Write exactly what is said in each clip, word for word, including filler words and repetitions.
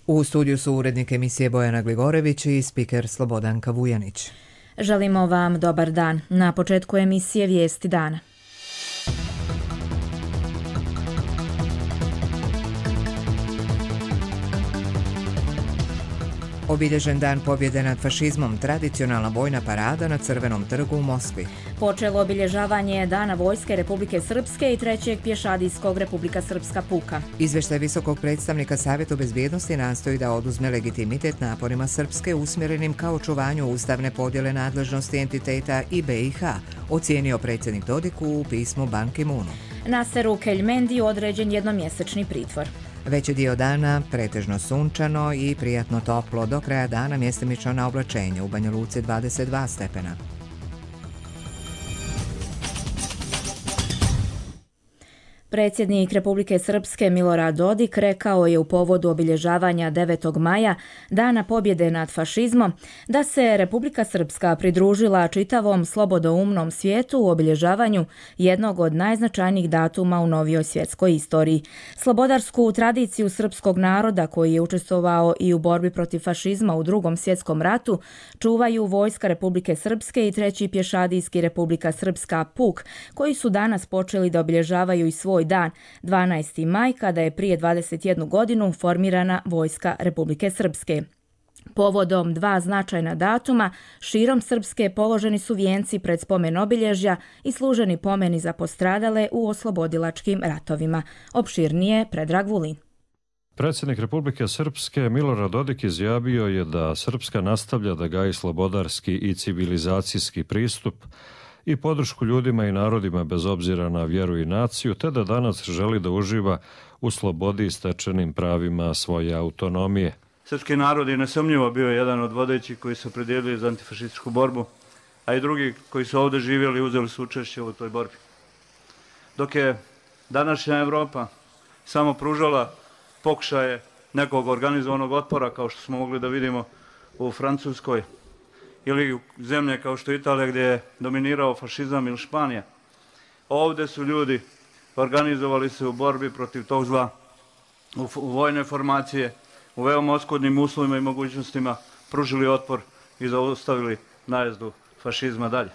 U studiju su urednik emisije Bojana Gligorević i spiker Slobodanka Vujanić. Želimo vam dobar dan. Na početku emisije Vijesti dana. Obilježen dan pobjede nad fašizmom, tradicionalna vojna parada na Crvenom trgu u Moskvi. Počelo obilježavanje Dana Vojske Republike Srpske i trećeg pješadijskog Republika Srpska puka. Izvještaj visokog predstavnika Savjetu bezbjednosti nastoji da oduzme legitimitet naporima Srpske usmjerenim ka očuvanju ustavne podjele nadležnosti entiteta i B i H, ocijenio predsjednik Dodik u pismu Ban Ki-moonu. Naseru Keljmendiju određen jednomjesečni pritvor. Veći dio dana pretežno sunčano i prijatno toplo, do kraja dana mjestimično na oblačenje, u Banja Luci dvadeset dva stepena. Predsjednik Republike Srpske Milorad Dodik rekao je u povodu obilježavanja devetog maja, Dana pobjede nad fašizmom, da se Republika Srpska pridružila čitavom slobodoumnom svijetu u obilježavanju jednog od najznačajnijih datuma u novijoj svjetskoj istoriji. Slobodarsku tradiciju srpskog naroda, koji je učestvovao i u borbi protiv fašizma u drugom svjetskom ratu, čuvaju Vojska Republike Srpske i treći pješadijski Republika Srpska puk, koji su danas počeli da obilježavaju i svoj dan, dvanaesti maj, kada je prije dvadeset jednu godinu formirana Vojska Republike Srpske. Povodom dva značajna datuma, širom Srpske položeni su vijenci pred spomen obilježja i služeni pomeni za postradale u oslobodilačkim ratovima. Opširnije Predrag Vulin. Predsjednik Republike Srpske Milorad Dodik izjavio je da Srpska nastavlja da gaji slobodarski i civilizacijski pristup i podršku ljudima i narodima bez obzira na vjeru i naciju, te da danas želi da uživa u slobodi i stečenim pravima svoje autonomije. Srpski narod je nesumnjivo bio jedan od vodećih koji su opredijelili za antifašističku borbu, a i drugi koji su ovdje živjeli i uzeli su učešće u toj borbi. Dok je današnja Evropa samo pružala pokušaje nekog organizovanog otpora, kao što smo mogli da vidimo u Francuskoj, ili u zemlje kao što je Italija, gdje je dominirao fašizam, ili Španija. Ovdje su ljudi organizovali se u borbi protiv tog zla, u, u vojne formacije, u veoma oskudnim uslovima i mogućnostima pružili otpor i zaustavili najezdu fašizma dalje.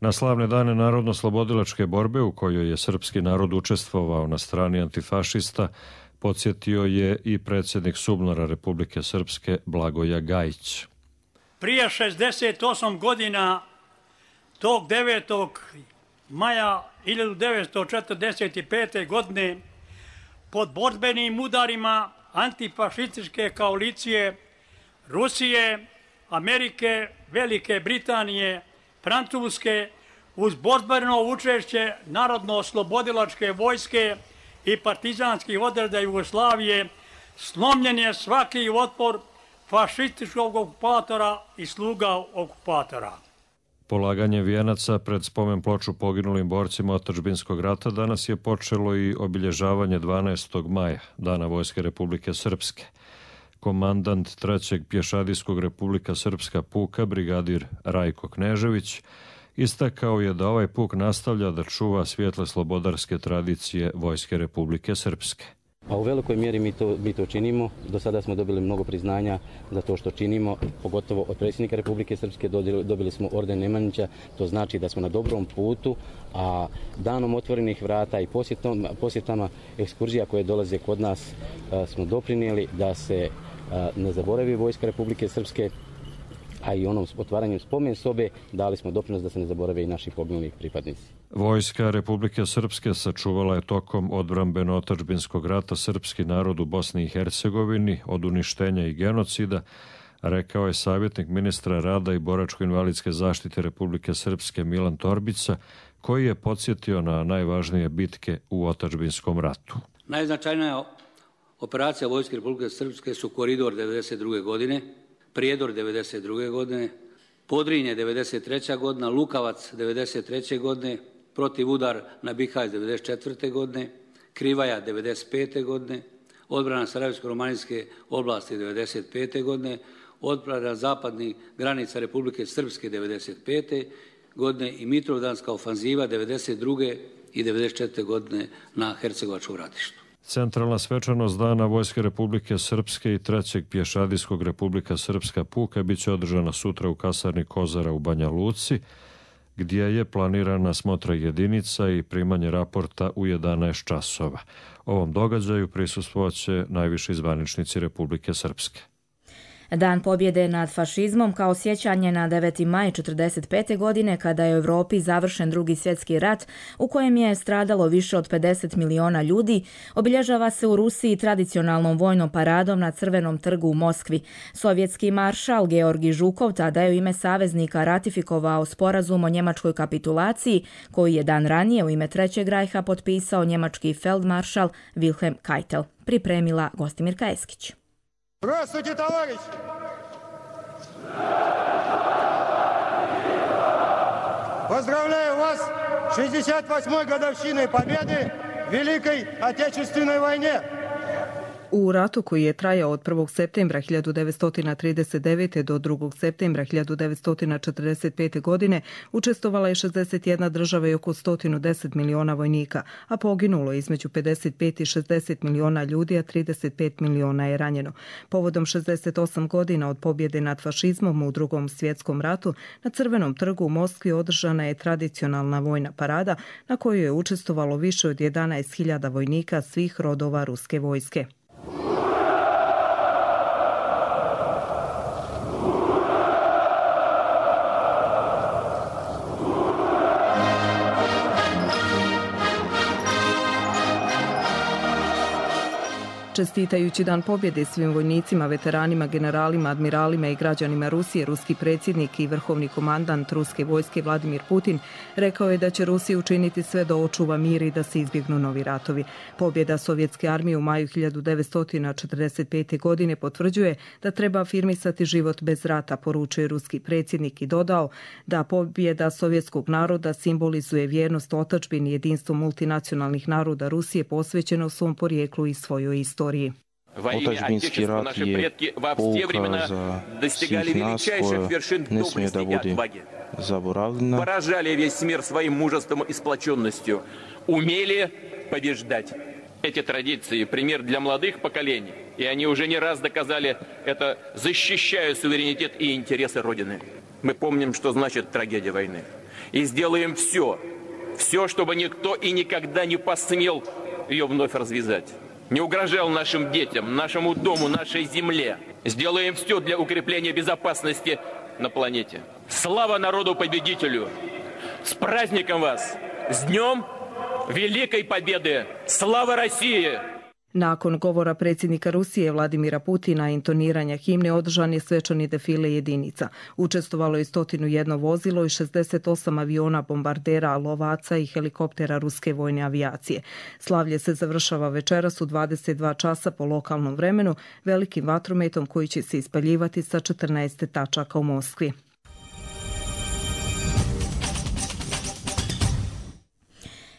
Na slavne dane narodno-slobodilačke borbe, u kojoj je srpski narod učestvovao na strani antifašista, podsjetio je i predsjednik SUBNOR-a Republike Srpske Blagoja Gajić. Prije šezdeset osam godina, tog devetog maja hiljadu devetsto četrdeset pete. godine, pod borbenim udarima antifašističke koalicije Rusije, Amerike, Velike Britanije, Francuske, uz borbeno učešće Narodno-oslobodilačke vojske i partizanskih odreda Jugoslavije, slomljen je svaki otpor fašističkog okupatora i sluga okupatora. Polaganje vijenaca pred spomen ploču poginulim borcima otadžbinskog rata danas je počelo i obilježavanje dvanaestog maja, Dana Vojske Republike Srpske. Komandant trećeg pješadijskog Republika Srpska puka, brigadir Rajko Knežević, istakao je da ovaj puk nastavlja da čuva svijetle slobodarske tradicije Vojske Republike Srpske. Pa u velikoj mjeri mi to, mi to činimo. Do sada smo dobili mnogo priznanja za to što činimo, pogotovo od predsjednika Republike Srpske dobili smo orden Nemanjića, to znači da smo na dobrom putu, a danom otvorenih vrata i posjetom, posjetama ekskurzija koje dolaze kod nas smo doprinijeli da se ne zaboravi Vojska Republike Srpske, a i onom otvaranjem spomen sobe dali smo doprinos da se ne zaborave i naši poginulih pripadnici. Vojska Republike Srpske sačuvala je tokom odbrambeno-otadžbinskog rata srpski narod u Bosni i Hercegovini od uništenja i genocida, rekao je savjetnik ministra rada i boračko-invalidske zaštite Republike Srpske Milan Torbica, koji je podsjetio na najvažnije bitke u otadžbinskom ratu. Najznačajnija operacija Vojske Republike Srpske su Koridor devedeset druge. godine, Prijedor devedeset druge. godine, Podrinje devedeset treće. godina, Lukavac devedeset treće. godine, protiv udar na Bihać devedeset četvrte. godine, Krivaja devedeset pete. godine, odbrana Sarajevsko-romanijske oblasti devedeset pete. godine, odbrana zapadnih granica Republike Srpske devedeset pete. godine i Mitrovdanska ofanziva devedeset druge i devedeset četvrte. godine na Hercegovačkom ratištu. Centralna svečanost Dana Vojske Republike Srpske i trećeg pješadijskog Republika Srpska puka biće održana sutra u kasarni Kozara u Banja Luci, gdje je planirana smotra jedinica i primanje raporta u jedanaest časova. Ovom događaju prisustvovaće najviši zvaničnici Republike Srpske. Dan pobjede nad fašizmom kao sjećanje na deveti maj četrdeset pete. godine kada je u Europi završen drugi svjetski rat u kojem je stradalo više od pedeset miliona ljudi, obilježava se u Rusiji tradicionalnom vojnom paradom na Crvenom trgu u Moskvi. Sovjetski maršal Georgij Žukov tada je u ime saveznika ratifikovao sporazum o njemačkoj kapitulaciji koji je dan ranije u ime Trećeg rajha potpisao njemački feldmaršal Wilhelm Keitel. Pripremila Gostimirka Eskić. Здравствуйте, товарищи! Поздравляю вас с шестьдесят восьмой годовщиной победы в Великой Отечественной войне! U ratu koji je trajao od prvog septembra hiljadu devetsto trideset devete. do drugog septembra hiljadu devetsto četrdeset pete. godine učestvovala je šezdeset jedna država i oko sto deset miliona vojnika, a poginulo je između pedeset pet i šezdeset miliona ljudi, a trideset pet miliona je ranjeno. Povodom šezdeset osam godina od pobjede nad fašizmom u drugom svjetskom ratu, na Crvenom trgu u Moskvi održana je tradicionalna vojna parada na kojoj je učestvovalo više od jedanaest hiljada vojnika svih rodova ruske vojske. Čestitajući Dan pobjede svim vojnicima, veteranima, generalima, admiralima i građanima Rusije, ruski predsjednik i vrhovni komandant ruske vojske Vladimir Putin rekao je da će Rusija učiniti sve da očuva mir i da se izbjegnu novi ratovi. Pobjeda sovjetske armije u maju hiljadu devetsto četrdeset pete. godine potvrđuje da treba afirmisati život bez rata, poručuje ruski predsjednik i dodao da pobjeda sovjetskog naroda simbolizuje vjernost otadžbini i jedinstvo multinacionalnih naroda Rusije posvećeno svom porijeklu i svojoj istoriji. Otadžbinski rat je pouka za svih nas koja ne smije da bude zaboravljena. Поражали весь мир своим мужеством и сплоченностью, умели побеждать. Эти традиции – пример для молодых поколений, и они уже не раз доказали это, защищая суверенитет и интересы Родины. Мы помним, что значит трагедия войны, и сделаем все, все, чтобы никто и никогда не посмел ее вновь развязать. Не угрожал нашим детям, нашему дому, нашей земле. Сделаем все для укрепления безопасности на планете. Слава народу-победителю! С праздником вас! С Днем Великой Победы! Слава России! Nakon govora predsjednika Rusije Vladimira Putina i intoniranja himne održan je svečani defile jedinica. Učestvovalo je sto jedan vozilo i šezdeset osam aviona, bombardera, lovaca i helikoptera ruske vojne avijacije. Slavlje se završava večeras u dvadeset dva časa po lokalnom vremenu velikim vatrometom koji će se ispaljivati sa četrnaest tačaka u Moskvi.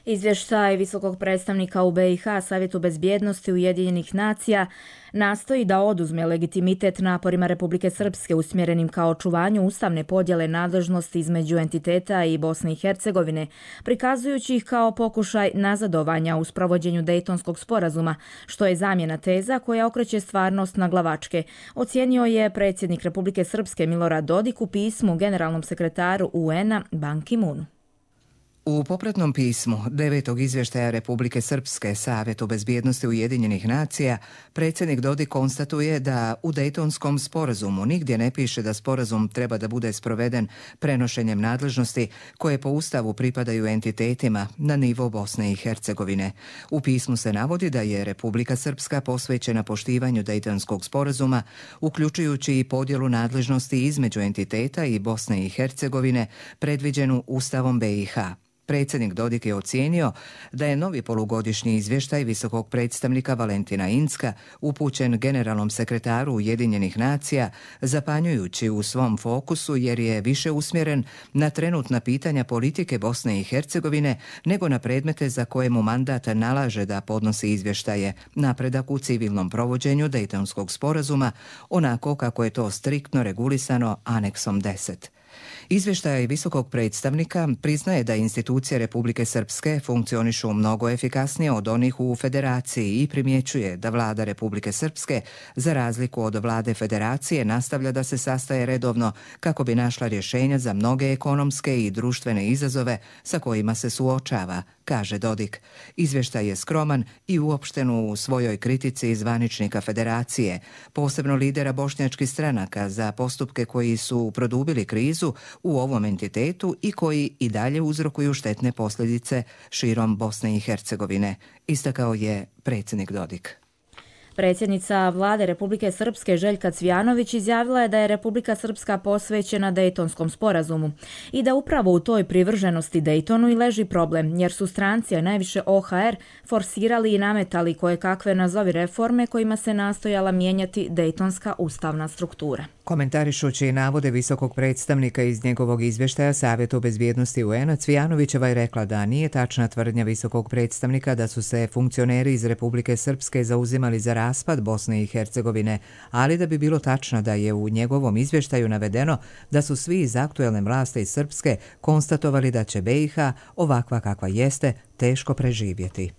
Izvještaj visokog predstavnika u B i H Savjetu bezbjednosti Ujedinjenih nacija nastoji da oduzme legitimitet naporima Republike Srpske usmjerenim ka očuvanju ustavne podjele nadležnosti između entiteta i Bosne i Hercegovine, prikazujući ih kao pokušaj nazadovanja u sprovođenju Dejtonskog sporazuma, što je zamjena teza koja okreće stvarnost na glavačke, ocijenio je predsjednik Republike Srpske Milorad Dodik u pismu generalnom sekretaru U N-a Ban Ki-moonu. U popratnom pismu devetog izvještaja Republike Srpske Savjetu bezbjednosti Ujedinjenih nacija predsjednik Dodik konstatuje da u Dejtonskom sporazumu nigdje ne piše da sporazum treba da bude sproveden prenošenjem nadležnosti koje po Ustavu pripadaju entitetima na nivo Bosne i Hercegovine. U pismu se navodi da je Republika Srpska posvećena poštivanju Dejtonskog sporazuma, uključujući i podjelu nadležnosti između entiteta i Bosne i Hercegovine predviđenu Ustavom B i H. Predsjednik Dodik je ocijenio da je novi polugodišnji izvještaj visokog predstavnika Valentina Incka upućen generalnom sekretaru Ujedinjenih nacija zapanjujući u svom fokusu jer je više usmjeren na trenutna pitanja politike Bosne i Hercegovine nego na predmete za koje mu mandat nalaže da podnosi izvještaje, napredak u civilnom provođenju Dejtonskog sporazuma, onako kako je to striktno regulisano aneksom deset. Izvještaj visokog predstavnika priznaje da institucije Republike Srpske funkcionišu mnogo efikasnije od onih u Federaciji i primjećuje da vlada Republike Srpske, za razliku od vlade Federacije, nastavlja da se sastaje redovno kako bi našla rješenja za mnoge ekonomske i društvene izazove sa kojima se suočava, kaže Dodik. Izvještaj je skroman i uopšten u svojoj kritici zvaničnika Federacije, posebno lidera bošnjačkih stranaka, za postupke koji su produbili krizu u ovom entitetu i koji i dalje uzrokuju štetne posljedice širom Bosne i Hercegovine, istakao je predsjednik Dodik. Predsjednica vlade Republike Srpske Željka Cvijanović izjavila je da je Republika Srpska posvećena Dejtonskom sporazumu i da upravo u toj privrženosti Dejtonu i leži problem, jer su stranci, a najviše O H R, forsirali i nametali koje kakve nazovi reforme kojima se nastojala mijenjati Dejtonska ustavna struktura. Komentarišući navode visokog predstavnika iz njegovog izvještaja Savjetu bezbjednosti U N-a, Cvijanovićeva je rekla da nije tačna tvrdnja visokog predstavnika da su se funkcioneri iz Republike Srpske zauzimali za raspad Bosne i Hercegovine, ali da bi bilo tačno da je u njegovom izvještaju navedeno da su svi iz aktuelne vlasti iz Srpske konstatovali da će B i H, ovakva kakva jeste, teško preživjeti.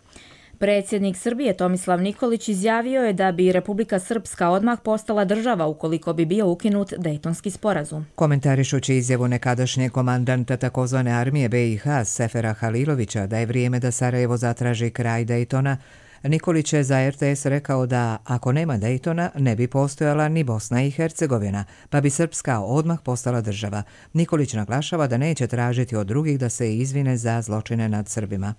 Predsjednik Srbije Tomislav Nikolić izjavio je da bi Republika Srpska odmah postala država ukoliko bi bio ukinut Dejtonski sporazum. Komentarišući izjavu nekadašnjeg komandanta takozvane armije B i H Sefera Halilovića da je vrijeme da Sarajevo zatraži kraj Dejtona, Nikolić je za R T S rekao da ako nema Dejtona ne bi postojala ni Bosna i Hercegovina, pa bi Srpska odmah postala država. Nikolić naglašava da neće tražiti od drugih da se izvine za zločine nad Srbima.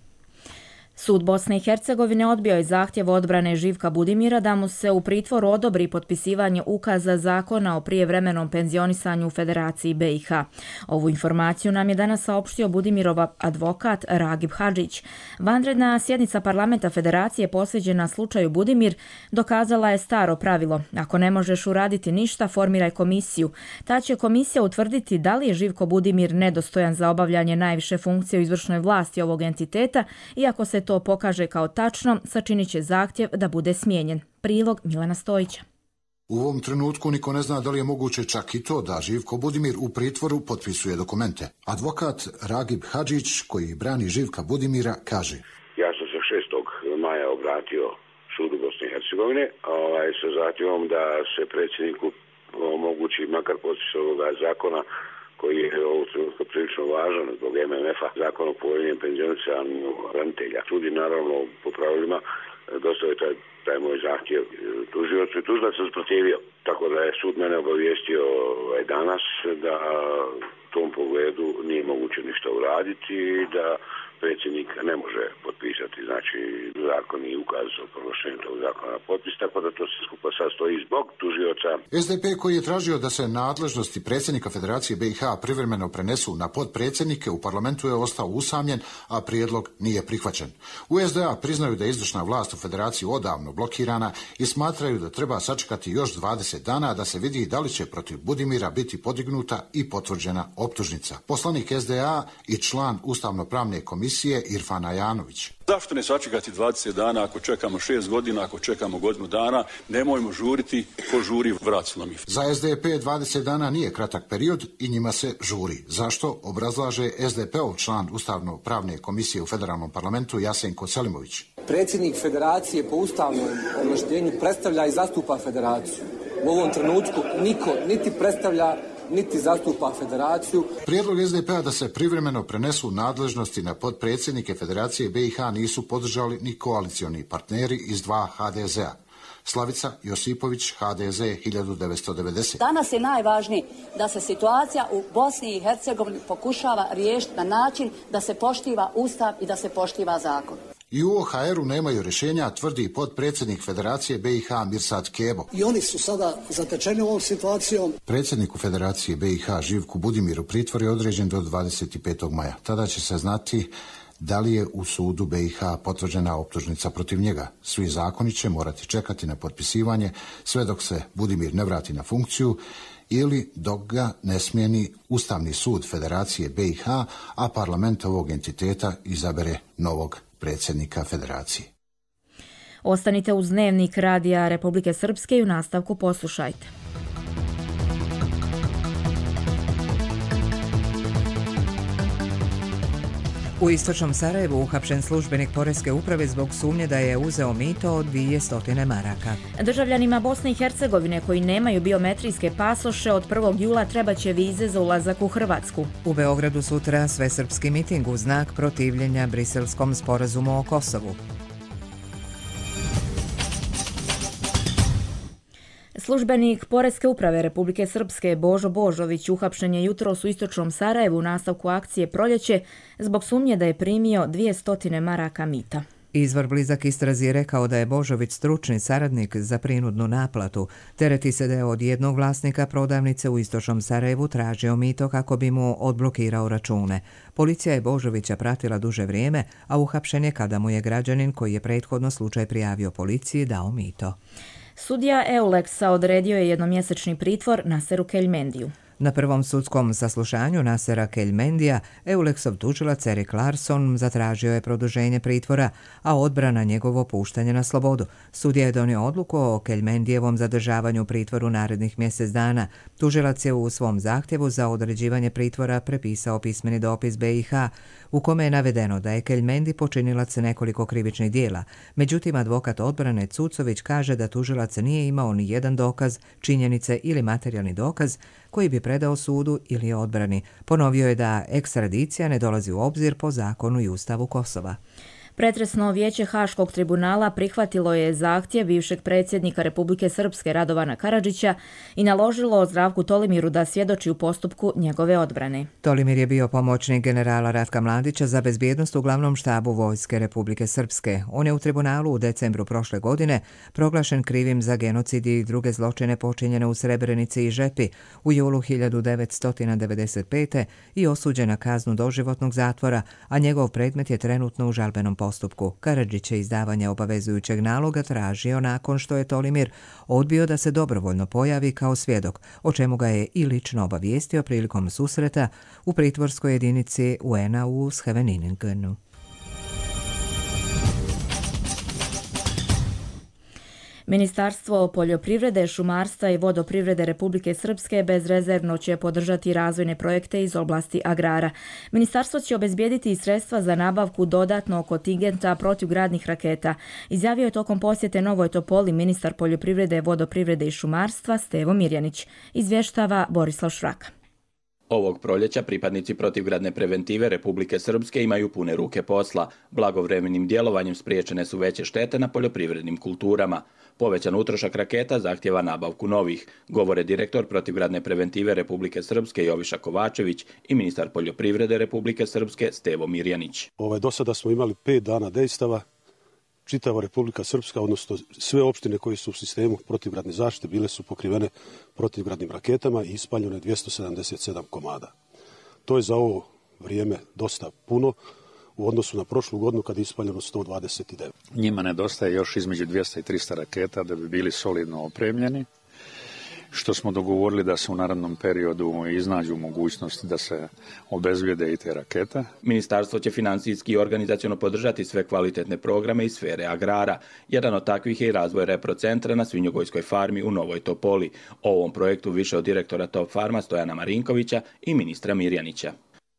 Sud Bosne i Hercegovine odbio je zahtjev odbrane Živka Budimira da mu se u pritvoru odobri potpisivanje ukaza zakona o prijevremenom penzionisanju u Federaciji B i H. Ovu informaciju nam je danas saopštio Budimirov advokat Ragib Hadžić. Vanredna sjednica parlamenta Federacije posveđena slučaju Budimir dokazala je staro pravilo. Ako ne možeš uraditi ništa, formiraj komisiju. Ta će komisija utvrditi da li je Živko Budimir nedostojan za obavljanje najviše funkcije u izvršnoj vlasti ovog entiteta i ako se to pokaže kao tačno, sačinit će zahtjev da bude smijenjen. Prilog Milana Stojića. U ovom trenutku niko ne zna da li je moguće čak i to da Živko Budimir u pritvoru potpisuje dokumente. Advokat Ragib Hadžić, koji brani Živka Budimira, kaže: Ja sam se šestog maja obratio sudu Bosne i Hercegovine ovaj, sa zahtjevom da se predsjedniku omogući makar potpis ovoga zakona koji je ovog trenutka prilično važan zbog M M F-a, zakon o povoljnijem penzionisanju branitelja. Sud je naravno po pravilima dostavio taj, taj moj zahtjev tužiocu i tužilac se usprotivio. Tako da je sud mene obavijestio ovaj, danas da u tom pogledu nije moguće ništa uraditi i da predsjednik ne može potpisati, znači zakon i ukaz o proglašenju tog zakona na potpis, tako da to se skupa sastoji zbog tužioca. S D P koji je tražio da se nadležnosti predsjednika Federacije B i H privremeno prenesu na potpredsjednike u parlamentu je ostao usamljen, a prijedlog nije prihvaćen. U S D A priznaju da je izvršna vlast u Federaciji odavno blokirana i smatraju da treba sačekati još dvadeset dana da se vidi da li će protiv Budimira biti podignuta i potvrđena optužnica. Poslanik S D A i član Ustavno-pravne komisije Irfan Ajanović. Zašto ne sačekati dvadeset dana ako čekamo šest godina, ako čekamo godinu dana, nemojmo žuriti, ko žuri vrat slomi. Za S D P dvadeset dana nije kratak period i njima se žuri. Zašto, obrazlaže S D P-ov član Ustavno-pravne komisije u Federalnom parlamentu Jasenko Selimović. Predsjednik Federacije po ustavnom ovlaštenju predstavlja i zastupa Federaciju. U ovom trenutku niko niti predstavlja niti zastupa Federaciju. Prijedlog S D P-a da se privremeno prenesu nadležnosti na potpredsjednike Federacije B i H nisu podržali ni koalicioni partneri iz dva H D Z-a. Slavica Josipović, H D Z hiljadu devetsto devedeset. Danas je najvažnije da se situacija u Bosni i Hercegovini pokušava riješiti na način da se poštiva Ustav i da se poštiva zakon. I u O H R-u nemaju rješenja, tvrdi potpredsjednik Federacije B i H Mirsad Kebo. I oni su sada zatečeni ovom situacijom. Predsjedniku Federacije B i H Živku Budimiru pritvor je određen do dvadeset petog maja. Tada će se znati da li je u sudu B i H potvrđena optužnica protiv njega. Svi zakoni će morati čekati na potpisivanje sve dok se Budimir ne vrati na funkciju ili dok ga ne smijeni Ustavni sud Federacije B i H, a parlament ovog entiteta izabere novog predsjednika Federacije. Ostanite uz Dnevnik Radija Republike Srpske i u nastavku poslušajte. U istočnom Sarajevu uhapšen službenik Poreske uprave zbog sumnje da je uzeo mito od dvije stotine maraka. Državljanima Bosne i Hercegovine koji nemaju biometrijske pasoše od prvog jula trebaće vize za ulazak u Hrvatsku. U Beogradu sutra svesrpski miting u znak protivljenja Briselskom sporazumu o Kosovu. Službenik Poreske uprave Republike Srpske Božo Božović uhapšen je jutros u istočnom Sarajevu u nastavku akcije Proljeće zbog sumnje da je primio dvije stotine maraka mita. Izvor blizak istrazi je rekao da je Božović stručni saradnik za prinudnu naplatu. Tereti se da je od jednog vlasnika prodavnice u istočnom Sarajevu tražio mito kako bi mu odblokirao račune. Policija je Božovića pratila duže vrijeme, a uhapšen je kada mu je građanin koji je prethodno slučaj prijavio policiji dao mito. Sudija Euleksa odredio je jednomjesečni pritvor Naseru Keljmendiju. Na prvom sudskom saslušanju Nasera Keljmendija, Euleksov tužilac Erik Larsson zatražio je produženje pritvora, a odbrana njegovo puštanje na slobodu. Sudija je donio odluku o Keljmendijevom zadržavanju u pritvoru narednih mjesec dana. Tužilac je u svom zahtjevu za određivanje pritvora prepisao pismeni dopis B i H, u kome je navedeno da je Keljmendi počinilac nekoliko krivičnih dijela. Međutim, advokat odbrane Cucović kaže da tužilac nije imao ni jedan dokaz, činjenice ili materijalni dokaz koji bi predao sudu ili odbrani. Ponovio je da ekstradicija ne dolazi u obzir po zakonu i ustavu Kosova. Pretresno vijeće Haškog tribunala prihvatilo je zahtjev bivšeg predsjednika Republike Srpske Radovana Karadžića i naložilo Zdravku Tolimiru da svjedoči u postupku njegove odbrane. Tolimir je bio pomoćnik generala Ratka Mladića za bezbjednost u glavnom štabu Vojske Republike Srpske. On je u tribunalu u decembru prošle godine proglašen krivim za genocid i druge zločine počinjene u Srebrenici i Žepi u julu hiljadu devetsto devedeset pete i osuđen na kaznu doživotnog zatvora, a njegov predmet je trenutno u žalbenom postupku. postupku. Karadžić je izdavanje obavezujućeg naloga tražio nakon što je Tolimir odbio da se dobrovoljno pojavi kao svjedok, o čemu ga je i lično obavijestio prilikom susreta u pritvorskoj jedinici U N-a u Scheveniningenu. Ministarstvo poljoprivrede, šumarstva i vodoprivrede Republike Srpske bezrezervno će podržati razvojne projekte iz oblasti agrara. Ministarstvo će obezbijediti sredstva za nabavku dodatnog kontingenta protivgradnih raketa, izjavio je tokom posjete Novoj Topoli ministar poljoprivrede, vodoprivrede i šumarstva Stevo Mirjanić, izvještava Borislav Švraka. Ovog proljeća pripadnici protivgradne preventive Republike Srpske imaju pune ruke posla. Blagovremenim djelovanjem spriječene su veće štete na poljoprivrednim kulturama. Povećan utrošak raketa zahtjeva nabavku novih, govore direktor protivgradne preventive Republike Srpske Joviša Kovačević i ministar poljoprivrede Republike Srpske Stevo Mirjanić. Ovaj, do sada smo imali pet dana dejstava. Čitava Republika Srpska, odnosno sve opštine koje su u sistemu protivgradne zaštite bile su pokrivene protivgradnim raketama i ispaljeno je dvjesto sedamdeset sedam komada. To je za ovo vrijeme dosta puno u odnosu na prošlu godinu kada je ispaljeno sto dvadeset devet. Njima nedostaje još između dvjesto i tristo raketa da bi bili solidno opremljeni, što smo dogovorili da se u narednom periodu iznađu mogućnosti da se obezbijede i te rakete. Ministarstvo će financijski i organizaciono podržati sve kvalitetne programe iz sfere agrara. Jedan od takvih je i razvoj reprocentra na svinjogojskoj farmi u Novoj Topoli. O ovom projektu više od direktora Top Farma Stojana Marinkovića i ministra Mirjanića.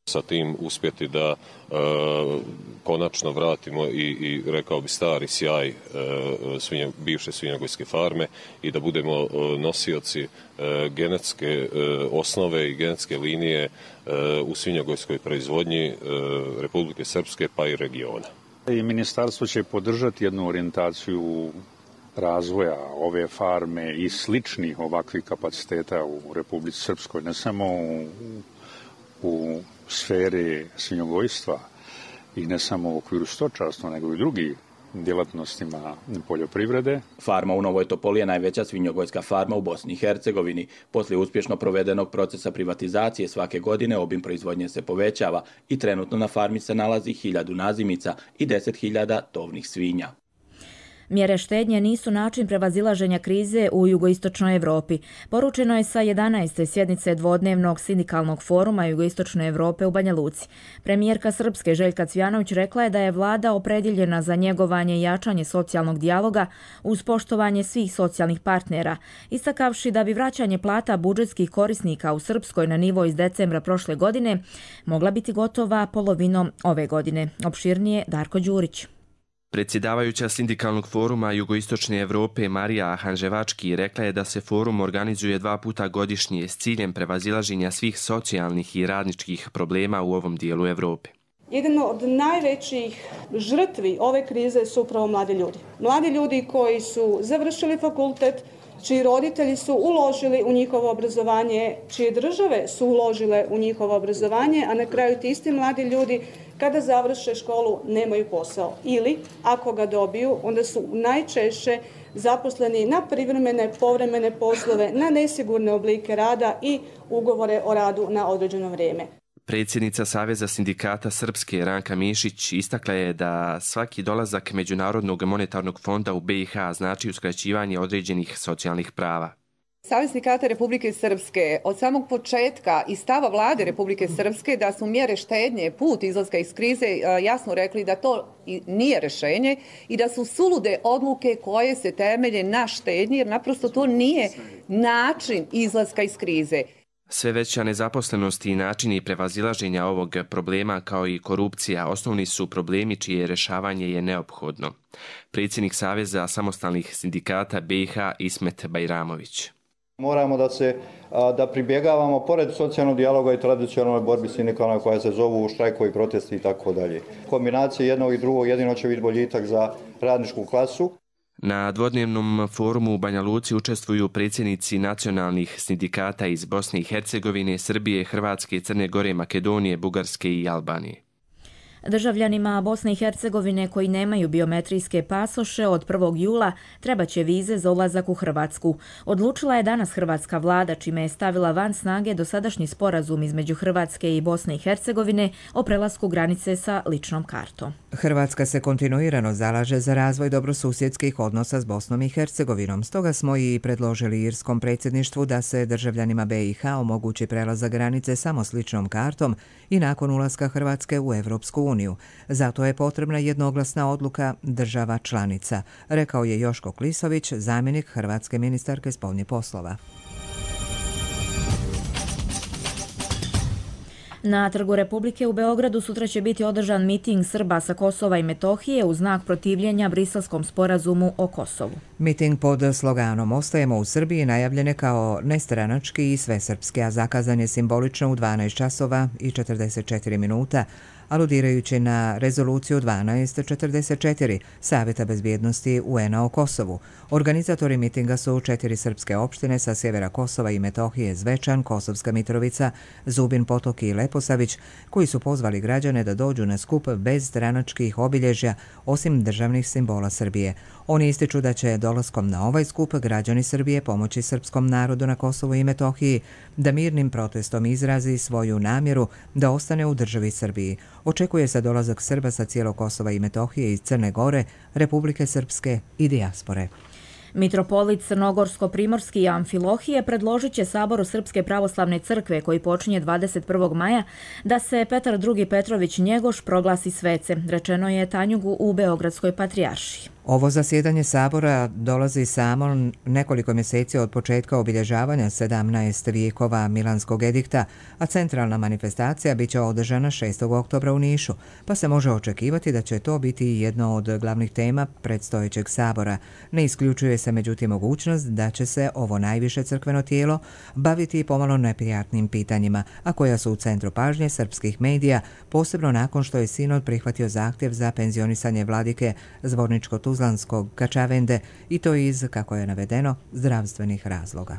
Sa tim uspjeti da e, konačno vratimo i, i rekao bi stari sjaj e, svinje, bivše svinjogojske farme i da budemo e, nosioci e, genetske e, osnove i genetske linije e, u svinjogojskoj proizvodnji e, Republike Srpske pa i regiona. I ministarstvo će podržati jednu orijentaciju razvoja ove farme i sličnih ovakvih kapaciteta u Republici Srpskoj, ne samo u, u sferi svinjogojstva i ne samo u okviru stočarstva, nego i drugih djelatnostima poljoprivrede. Farma u Novoj Topoli je najveća svinjogojska farma u Bosni i Hercegovini. Poslije uspješno provedenog procesa privatizacije svake godine obim proizvodnje se povećava i trenutno na farmi se nalazi hiljadu nazimica i deset hiljada tovnih svinja. Mjere štednje nisu način prevazilaženja krize u jugoistočnoj Evropi. Poručeno je sa jedanaeste sjednice dvodnevnog sindikalnog foruma jugoistočne Evrope u Banja Luci. Premijerka Srpske Željka Cvjanović rekla je da je vlada opredjeljena za njegovanje i jačanje socijalnog dijaloga uz poštovanje svih socijalnih partnera, istakavši da bi vraćanje plata budžetskih korisnika u Srpskoj na nivo iz decembra prošle godine mogla biti gotova polovinom ove godine. Opširnije Darko Đurić. Predsjedavajuća sindikalnog foruma Jugoistočne Evrope Marija Hanževački rekla je da se forum organizuje dva puta godišnje s ciljem prevazilaženja svih socijalnih i radničkih problema u ovom dijelu Evrope. Jedan od najvećih žrtvi ove krize su upravo mladi ljudi. Mladi ljudi koji su završili fakultet, čiji roditelji su uložili u njihovo obrazovanje, čije države su uložile u njihovo obrazovanje, a na kraju ti isti mladi ljudi kada završe školu nemaju posao. Ili, ako ga dobiju, onda su najčešće zaposleni na privremene, povremene poslove, na nesigurne oblike rada i ugovore o radu na određeno vrijeme. Predsjednica Saveza sindikata Srpske Ranka Mišić istakla je da svaki dolazak Međunarodnog monetarnog fonda u B i H znači uskraćivanje određenih socijalnih prava. Savez sindikata Republike Srpske od samog početka i stava vlade Republike Srpske da su mjere štednje put izlaska iz krize jasno rekli da to nije rješenje i da su sulude odluke koje se temelje na štednji, jer naprosto to nije način izlaska iz krize. Sve veća nezaposlenost i načini prevazilaženja ovog problema kao i korupcija osnovni su problemi čije rješavanje je neophodno. Predsjednik Saveza samostalnih sindikata B i H Ismet Bajramović. Moramo da se da pribjegavamo pored socijalnog dijaloga i tradicionalnoj borbi sindikalna koja se zovu štrajkovi, protesti i tako dalje. Kombinacija jednog i drugog jedino će biti boljitak za radničku klasu. Na dvodnevnom forumu u Banja Luci učestvuju predsjednici nacionalnih sindikata iz Bosne i Hercegovine, Srbije, Hrvatske, Crne Gore, Makedonije, Bugarske i Albanije. Državljanima Bosne i Hercegovine koji nemaju biometrijske pasoše od prvog jula trebaće vize za ulazak u Hrvatsku. Odlučila je danas hrvatska vlada, čime je stavila van snage dosadašnji sporazum između Hrvatske i Bosne i Hercegovine o prelasku granice sa ličnom kartom. Hrvatska se kontinuirano zalaže za razvoj dobrosusjedskih odnosa s Bosnom i Hercegovinom. Stoga smo i predložili irskom predsjedništvu da se državljanima B i H omogući prelazak granice samo s ličnom kartom i nakon ulaska Hrvatske u Evropsku uniju. Zato je potrebna jednoglasna odluka država članica, rekao je Joško Klisović, zamjenik hrvatske ministarke spoljnih poslova. Na Trgu Republike u Beogradu sutra će biti održan miting Srba sa Kosova i Metohije u znak protivljenja Briselskom sporazumu o Kosovu. Miting pod sloganom Ostajemo u Srbiji najavljen je kao nestranački i svesrpski, a zakazan je simbolično u dvanaest časova i četrdeset četiri minuta, aludirajući na rezoluciju dvanaest četrdeset četiri Savjeta bezbjednosti U N-a o Kosovu. Organizatori mitinga su četiri srpske opštine sa sjevera Kosova i Metohije, Zvečan, Kosovska Mitrovica, Zubin Potok i Leposavić, koji su pozvali građane da dođu na skup bez stranačkih obilježja, osim državnih simbola Srbije. Oni ističu da će dolaskom na ovaj skup građani Srbije pomoći srpskom narodu na Kosovu i Metohiji da mirnim protestom izrazi svoju namjeru da ostane u državi Srbiji. Očekuje se dolazak Srba sa cijelog Kosova i Metohije iz Crne Gore, Republike Srpske i dijaspore. Mitropolit Crnogorsko-Primorski Amfilohije predložit će Saboru Srpske pravoslavne crkve, koji počinje dvadeset prvog maja, da se Petar drugi Petrović Njegoš proglasi svecem, rečeno je Tanjugu u Beogradskoj patrijaršiji. Ovo zasjedanje Sabora dolazi samo nekoliko mjeseci od početka obilježavanja sedamnaest vijekova Milanskog edikta, a centralna manifestacija bit će održana šestog oktobra u Nišu, pa se može očekivati da će to biti jedno od glavnih tema predstojećeg Sabora. Ne isključuje se međutim mogućnost da će se ovo najviše crkveno tijelo baviti pomalo neprijatnim pitanjima, a koja su u centru pažnje srpskih medija, posebno nakon što je sinod prihvatio zahtjev za penzionisanje vladike Zvorničko-Tuzlanskog Kačavende, i to iz, kako je navedeno, zdravstvenih razloga.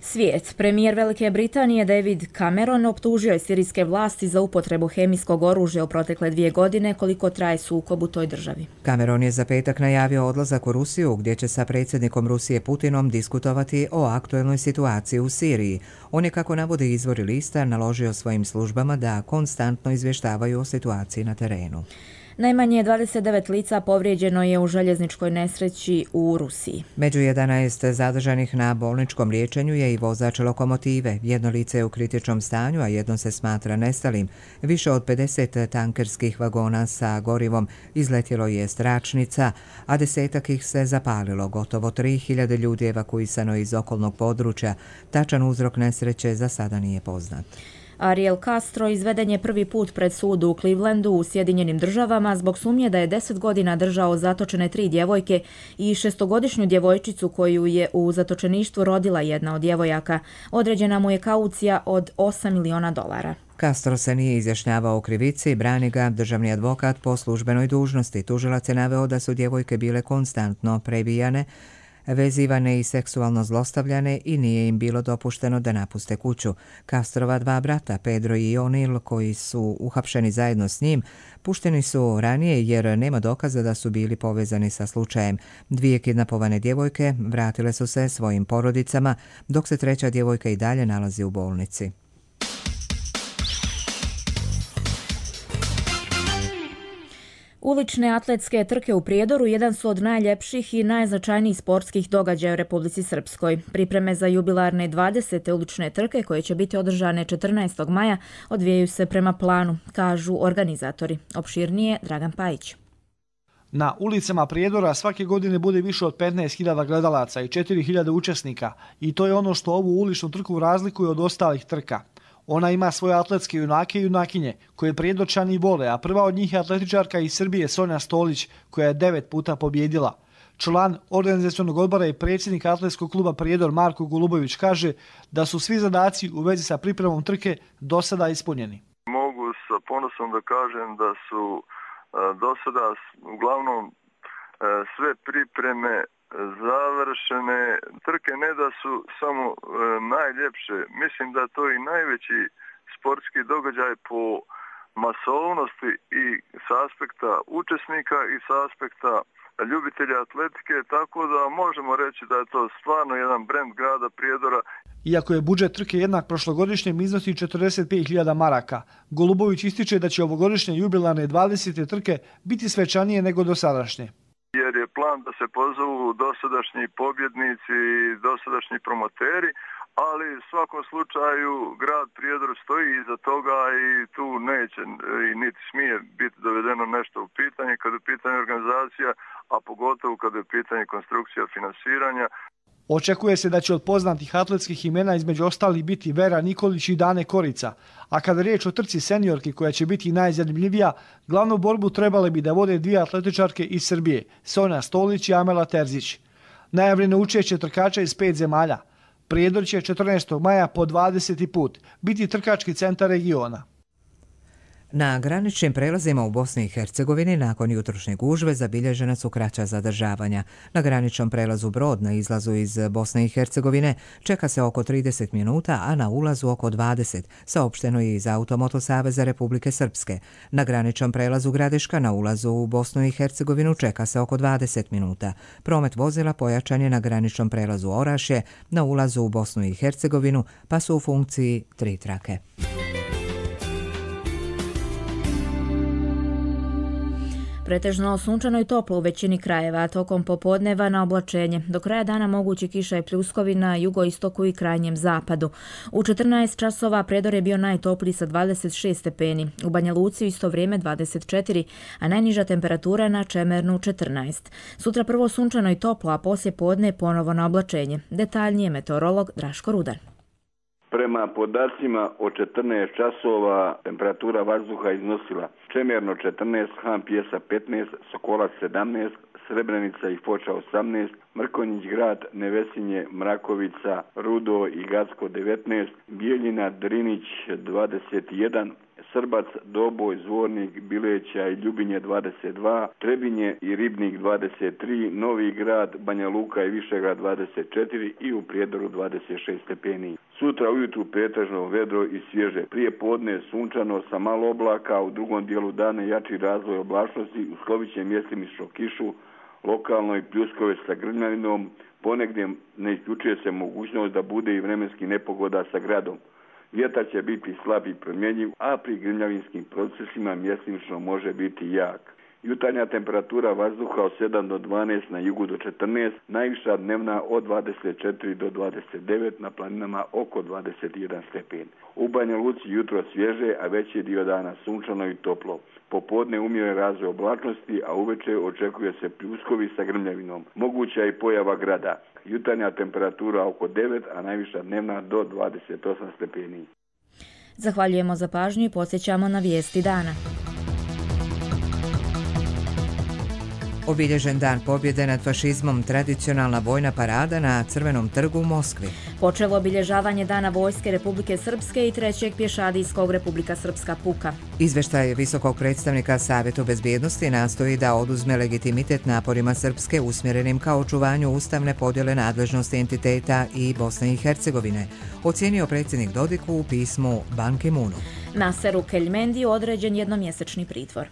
Svijet. Premijer Velike Britanije David Cameron optužio je sirijske vlasti za upotrebu hemijskog oružja u protekle dvije godine, koliko traje sukob u toj državi. Cameron je za petak najavio odlazak u Rusiju, gdje će sa predsjednikom Rusije Putinom diskutovati o aktuelnoj situaciji u Siriji. On je, kako navode izvori lista, naložio svojim službama da konstantno izvještavaju o situaciji na terenu. Najmanje dvadeset devet lica povrijeđeno je u željezničkoj nesreći u Rusiji. Među jedanaest zadržanih na bolničkom liječenju je i vozač lokomotive. Jedno lice je u kritičnom stanju, a jedno se smatra nestalim. Više od pedeset tankerskih vagona sa gorivom izletjelo je s tračnica, a desetak ih se zapalilo. Gotovo tri hiljade ljudi evakuisano iz okolnog područja. Tačan uzrok nesreće za sada nije poznat. Ariel Castro izveden je prvi put pred sud u Clevelandu u Sjedinjenim državama zbog sumnje da je deset godina držao zatočene tri djevojke i šestogodišnju djevojčicu koju je u zatočeništvu rodila jedna od djevojaka. Određena mu je kaucija od osam miliona dolara. Castro se nije izjašnjavao o krivici, brani ga državni advokat po službenoj dužnosti. Tužilac je naveo da su djevojke bile konstantno prebijane, vezivane i seksualno zlostavljane i nije im bilo dopušteno da napuste kuću. Castrova dva brata, Pedro i O'Neill, koji su uhapšeni zajedno s njim, pušteni su ranije jer nema dokaza da su bili povezani sa slučajem. Dvije kidnapovane djevojke vratile su se svojim porodicama, dok se treća djevojka i dalje nalazi u bolnici. Ulične atletske trke u Prijedoru jedan su od najljepših i najznačajnijih sportskih događaja u Republici Srpskoj. Pripreme za jubilarne dvadesete ulične trke koje će biti održane četrnaestog maja odvijaju se prema planu, kažu organizatori. Opširnije Dragan Pajić. Na ulicama Prijedora svake godine bude više od petnaest hiljada gledalaca i četiri hiljade učesnika i to je ono što ovu uličnu trku razlikuje od ostalih trka. Ona ima svoje atletske junake i junakinje, koje Prijedorčani vole, a prva od njih je atletičarka iz Srbije Sonja Stolić, koja je devet puta pobjedila. Član organizacionog odbora i predsjednik atletskog kluba Prijedor Marko Golubović kaže da su svi zadaci u vezi sa pripremom trke do sada ispunjeni. Mogu sa ponosom da kažem da su do sada uglavnom sve pripreme završene. Trke ne da su samo e, najljepše, mislim da to i najveći sportski događaj po masovnosti i s aspekta učesnika i s aspekta ljubitelja atletike, tako da možemo reći da je to stvarno jedan brend grada Prijedora. Iako je budžet trke jednak prošlogodišnjem, iznosi četrdeset pet hiljada maraka. Golubović ističe da će ovogodišnje jubilarne dvadesete trke biti svečanije nego dosadašnje. Jer je plan da se pozovu dosadašnji pobjednici i dosadašnji promoteri, ali u svakom slučaju grad Prijedor stoji iza toga i tu neće i niti smije biti dovedeno nešto u pitanje kada je u pitanju organizacija, a pogotovo kada je u pitanju konstrukcija finansiranja. Očekuje se da će od poznatih atletskih imena između ostalih biti Vera Nikolić i Dane Korica, a kada je riječ o trci seniorki koja će biti najzanimljivija, glavnu borbu trebale bi da vode dvije atletičarke iz Srbije, Sonja Stolić i Amela Terzić. Najavljeno učešće trkača iz pet zemalja. Prijedor će četrnaestog maja po dvadeseti put biti trkački centar regiona. Na graničnim prelazima u Bosni i Hercegovini nakon jutrošnje gužve zabilježena su kraća zadržavanja. Na graničnom prelazu Brod na izlazu iz Bosne i Hercegovine čeka se oko trideset minuta, a na ulazu oko dvadeset, saopšteno je iz Automoto Saveza Republike Srpske. Na graničnom prelazu Gradiška na ulazu u Bosnu i Hercegovinu čeka se oko dvadeset minuta. Promet vozila pojačan je na graničnom prelazu Orašje na ulazu u Bosnu i Hercegovinu, pa su u funkciji tri trake. Pretežno sunčano i toplo u većini krajeva, tokom popodneva na oblačenje. Do kraja dana mogući kiša i pljuskovi na jugoistoku i krajnjem zapadu. U četrnaest časova Prijedor je bio najtopliji sa dvadeset šest stepeni, u Banja Luci u isto vrijeme dvadeset četiri, a najniža temperatura na Čemernu četrnaest. Sutra prvo sunčano i toplo, a poslije podne ponovo na oblačenje. Detaljnije meteorolog Draško Rudan. Prema podacima od četrnaest časova temperatura vazduha iznosila Čemerno četrnaest, Han Pjesa petnaest, Sokolac sedamnaest, Srebrenica i Foča osamnaest, Mrkonjić grad, Nevesinje, Mrakovica, Rudo i Gacko devetnaest, Bijeljina, Drinić dvadeset jedan, Srbac, Doboj, Zvornik, Bileća i Ljubinje dvadeset dva, Trebinje i Ribnik dvadeset tri, Novi grad, Banja Luka i Višegrad dvadeset četiri i u Prijedoru dvadeset šest stepeni. Sutra ujutru pretežno vedro i svježe. Prije podne sunčano sa malo oblaka, a u drugom dijelu dana jači razvoj oblačnosti, uslovit će mjestimično kišu, lokalno i pljuskove sa grmljavinom, ponegdje ne isključuje se mogućnost da bude i vremenski nepogoda sa gradom. Vjetar će biti slab i promjenjiv, a pri grmljavinskim procesima mjestimično može biti jak. Jutarnja temperatura vazduha od sedam do dvanaest, na jugu do četrnaest, najviša dnevna od dvadeset četiri do dvadeset devet, na planinama oko dvadeset jedan stepen. U Banja Luci jutro svježe, a veći dio dana sunčano i toplo. Popodne umjeren razvoj oblačnosti, a uveče očekuje se pljuskovi sa grmljavinom. Moguća i pojava grada. Jutarnja temperatura oko devet, a najviša dnevna do dvadeset osam stepeni. Zahvaljujemo za pažnju i podsjećamo na vijesti dana. Obilježen dan pobjede nad fašizmom, tradicionalna vojna parada na Crvenom trgu u Moskvi. Počelo obilježavanje Dana vojske Republike Srpske i trećeg pješadijskog Republika Srpska puka. Izveštaj visokog predstavnika Savjetu bezbjednosti nastoji da oduzme legitimitet naporima Srpske usmjerenim ka očuvanju ustavne podjele nadležnosti entiteta i Bosne i Hercegovine, ocijenio predsjednik Dodik u pismu Ban Ki-moonu. Naseru Keljmendiju određen jednomjesečni pritvor.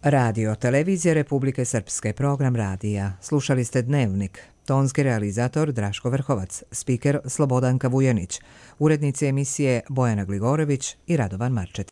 Radio Televizija Republike Srpske, program radija. Slušali ste Dnevnik. Tonski realizator Draško Vrhovac, spiker Slobodanka Vujanić, urednici emisije Bojana Gligorević i Radovan Marčet.